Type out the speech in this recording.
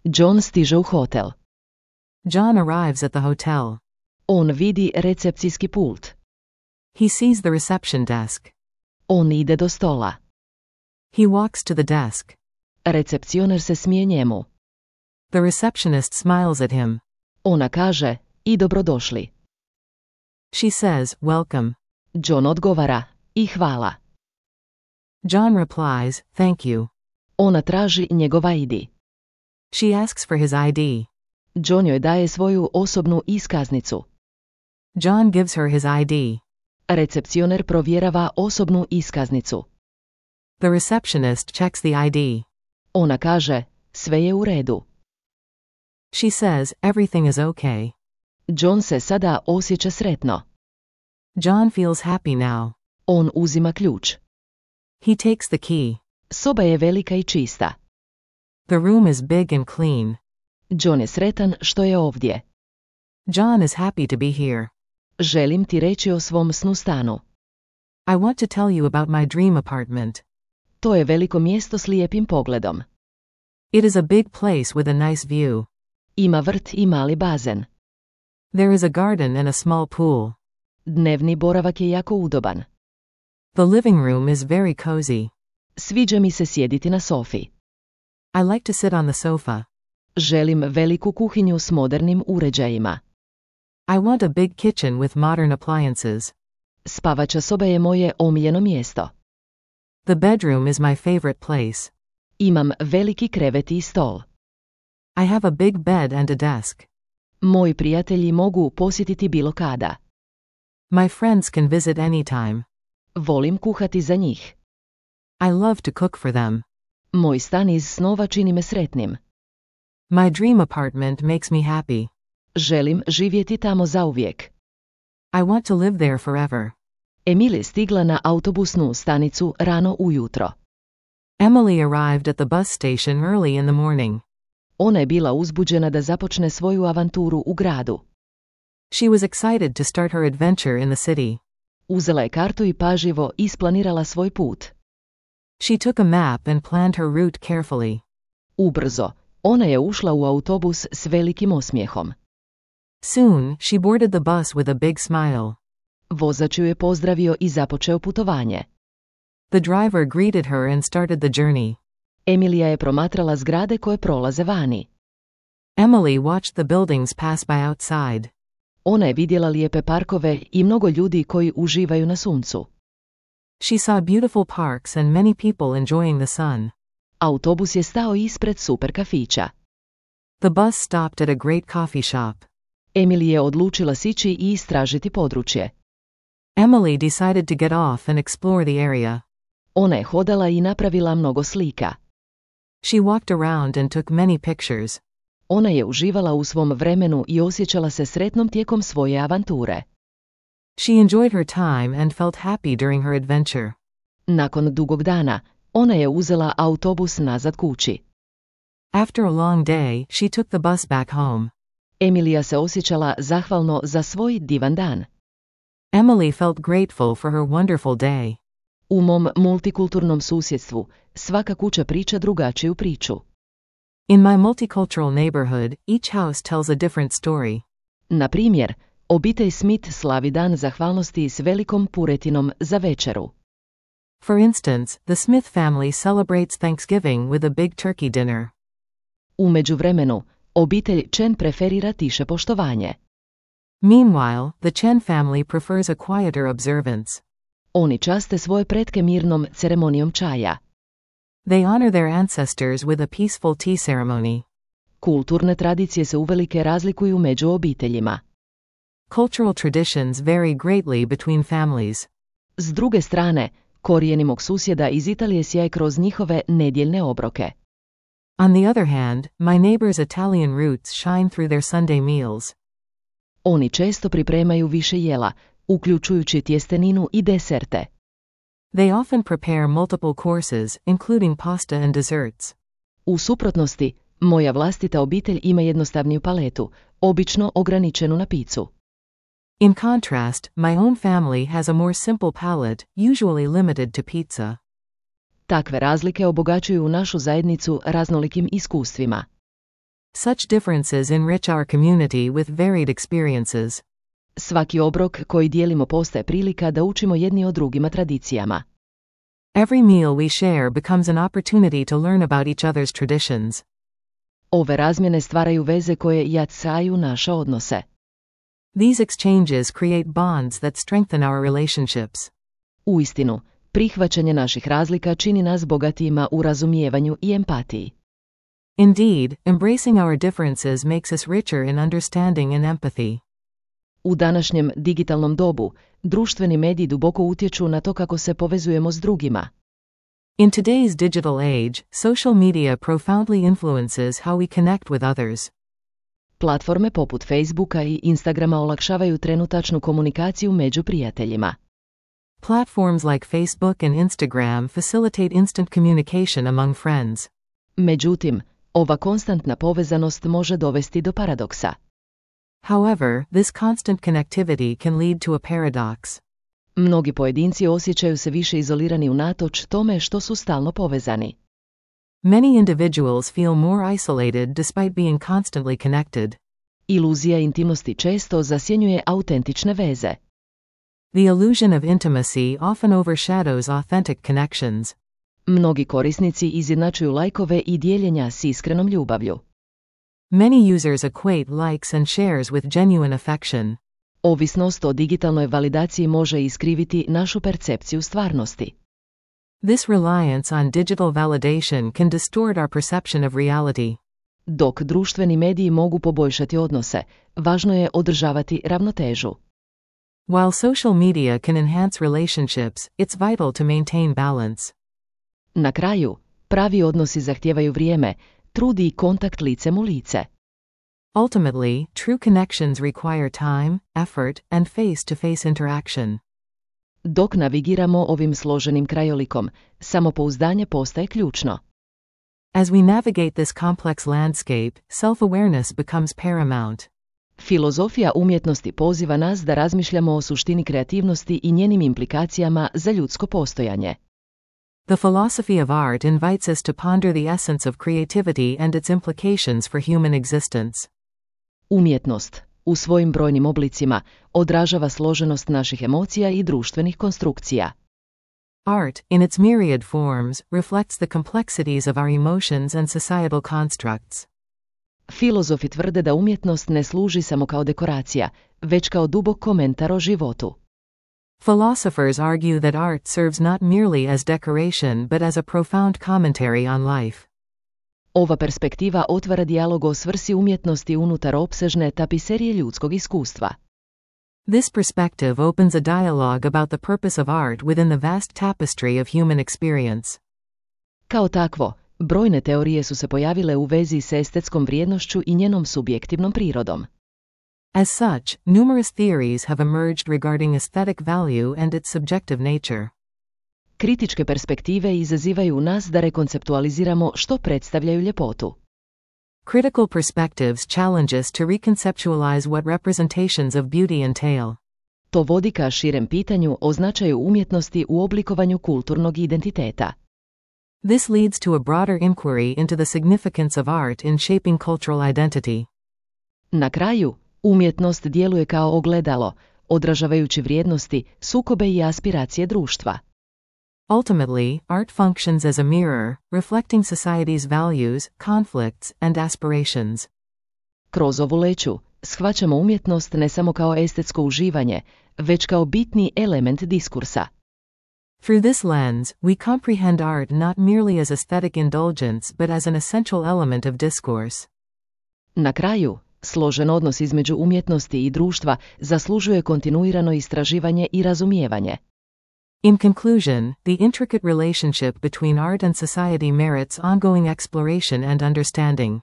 John stiže u hotel. John arrives at the hotel. On vidi recepcijski pult. He sees the reception desk. On ide do stola. He walks to the desk. Recepcioner se smije njemu. The receptionist smiles at him. Ona kaže, i dobrodošli. She says, welcome. John odgovara, i hvala. John replies, thank you. Ona traži njegov ID. She asks for his ID. John joj daje svoju osobnu iskaznicu. John gives her his ID. Recepcioner provjerava osobnu iskaznicu. The receptionist checks the ID. Ona kaže, sve je u redu. She says, everything is okay. John se sada osjeća sretno. John feels happy now. On uzima ključ. He takes the key. Soba je velika i čista. The room is big and clean. John je sretan što je ovdje. John is happy to be here. Želim ti reći o svom snu stanu. I want to tell you about my dream apartment. To je veliko mjesto s lijepim pogledom. It is a big place with a nice view. Ima vrt i mali bazen. There is a garden and a small pool. Dnevni boravak je jako udoban. The living room is very cozy. Sviđa mi se sjediti na sofi. I like to sit on the sofa. Želim veliku kuhinju s modernim uređajima. I want a big kitchen with modern appliances. Spavača soba je moje omiljeno mjesto. The bedroom is my favorite place. Imam veliki krevet i stol. I have a big bed and a desk. Moji prijatelji mogu posjetiti bilo kada. My friends can visit anytime. Volim kuhati za njih. I love to cook for them. Moj stan iz snova čini me sretnim. My dream apartment makes me happy. Želim živjeti tamo zauvijek. I want to live there forever. Emily je stigla na autobusnu stanicu rano ujutro. Emily arrived at the bus station early in the morning. Ona je bila uzbuđena da započne svoju avanturu u gradu. She was excited to start her adventure in the city. Uzela je kartu i pažljivo isplanirala svoj put. She took a map and planned her route carefully. Ubrzo, ona je ušla u autobus s velikim osmijehom. Soon, she boarded the bus with a big smile. Vozač ju je pozdravio i započeo putovanje. The driver greeted her and started the journey. Emilija je promatrala zgrade koje prolaze vani. Emily watched the buildings pass by outside. Ona je vidjela lijepe parkove i mnogo ljudi koji uživaju na suncu. She saw beautiful parks and many people enjoying the sun. Autobus je stao ispred super kafića. The bus stopped at a great coffee shop. Emily je odlučila sići i istražiti područje. Emily decided to get off and explore the area. Ona je hodala i napravila mnogo slika. She walked around and took many pictures. Ona je uživala u svom vremenu i osjećala se sretnom tijekom svoje avanture. She enjoyed her time and felt happy during her adventure. Nakon dugog dana, ona je uzela autobus nazad kući. After a long day, she took the bus back home. Emilija se osjećala zahvalno za svoj divan dan. Emily felt grateful for her wonderful day. U mom multikulturnom susjedstvu, svaka kuća priča drugačiju priču. In my multicultural neighborhood, each house tells a different story. Na primjer, obitelj Smith slavi dan zahvalnosti s velikom puretinom za večeru. For instance, the Smith family celebrates Thanksgiving with a big turkey dinner. U međuvremenu, obitelj Chen preferira tiše poštovanje. Meanwhile, the Chen family prefers a quieter observance. Oni časte svoje pretke mirnom ceremonijom čaja. They honor their ancestors with a peaceful tea ceremony. Kulturne tradicije se uvelike razlikuju među obiteljima. Cultural traditions vary greatly between families. S druge strane, korijeni mog susjeda iz Italije sjaje kroz njihove nedjeljne obroke. On the other hand, my neighbor's Italian roots shine through their Sunday meals. Oni često pripremaju više jela, uključujući tjesteninu i deserte. They often prepare multiple courses, including pasta and desserts. U suprotnosti, moja vlastita obitelj ima jednostavniju paletu, obično ograničenu na picu. In contrast, my own family has a more simple palate, usually limited to pizza. Takve razlike obogaćuju našu zajednicu raznolikim iskustvima. such differences enrich our community with varied experiences. Svaki obrok koji dijelimo postaje prilika da učimo jedni o drugima tradicijama. Every meal we share becomes an opportunity to learn about each other's traditions. Ove razmjene stvaraju veze koje jačaju naše odnose. These exchanges create bonds that strengthen our relationships. Uistinu, prihvaćanje naših razlika čini nas bogatijima u razumijevanju i empatiji. Indeed, embracing our differences makes us richer in understanding and empathy. U današnjem digitalnom dobu, društveni mediji duboko utječu na to kako se povezujemo s drugima. In today's digital age, social media profoundly influences how we connect with others. Platforme poput Facebooka i Instagrama olakšavaju trenutačnu komunikaciju među prijateljima. Platforms like Facebook and Instagram facilitate instant communication among friends. Međutim, ova konstantna povezanost može dovesti do paradoksa. However, this constant connectivity can lead to a paradox. Mnogi pojedinci osjećaju se više izolirani unatoč tome što su stalno povezani. Many individuals feel more isolated despite being constantly connected. Iluzija intimnosti često zasjenjuje autentične veze. The illusion of intimacy often overshadows authentic connections. Mnogi korisnici izjednačuju lajkove i dijeljenja s iskrenom ljubavlju. Many users equate likes and shares with genuine affection. Ovisnost o digitalnoj validaciji može iskriviti našu percepciju stvarnosti. This reliance on digital validation can distort our perception of reality. Dok društveni mediji mogu poboljšati odnose, važno je održavati ravnotežu. While social media can enhance relationships, it's vital to maintain balance. Na kraju, pravi odnosi zahtijevaju vrijeme, trud i kontakt licem u lice. Ultimately, true connections require time, effort, and face-to-face interaction. Dok navigiramo ovim složenim krajolikom, samopouzdanje postaje ključno. As we navigate this complex landscape, self-awareness becomes paramount. Filozofija umjetnosti poziva nas da razmišljamo o suštini kreativnosti i njenim implikacijama za ljudsko postojanje. The philosophy of art invites us to ponder the essence of creativity and its implications for human existence. Umjetnost, u svojim brojnim oblicima, odražava složenost naših emocija i društvenih konstrukcija. Art, in its myriad forms, reflects the complexities of our emotions and societal constructs. Filozofi tvrde da umjetnost ne služi samo kao dekoracija, već kao dubok komentar o životu. Philosophers argue that art serves not merely as decoration but as a profound commentary on life. Ova perspektiva otvara dijalog o svrsi umjetnosti unutar opsežne tapiserije ljudskog iskustva. This perspective opens a dialogue about the purpose of art within the vast tapestry of human experience. Kao takvo, brojne teorije su se pojavile u vezi s estetskom vrijednošću i njenom subjektivnom prirodom. As such, numerous theories have emerged regarding aesthetic value and its subjective nature. Kritičke perspektive izazivaju u nas da rekonceptualiziramo što predstavljaju ljepotu. Critical perspectives challenge us to reconceptualize what representations of beauty entail. To vodi ka širem pitanju o značaju umjetnosti u oblikovanju kulturnog identiteta. This leads to a broader inquiry into the significance of art in shaping cultural identity. Na kraju, umjetnost djeluje kao ogledalo, odražavajući vrijednosti, sukobe i aspiracije društva. Ultimately, art functions as a mirror, reflecting society's values, conflicts, and aspirations. Kroz ovu leću, shvaćamo umjetnost ne samo kao estetsko uživanje, već kao bitni element diskursa. Through this lens, we comprehend art not merely as aesthetic indulgence but as an essential element of discourse. Na kraju, složen odnos između umjetnosti i društva zaslužuje kontinuirano istraživanje i razumijevanje. In conclusion, the intricate relationship between art and society merits ongoing exploration and understanding.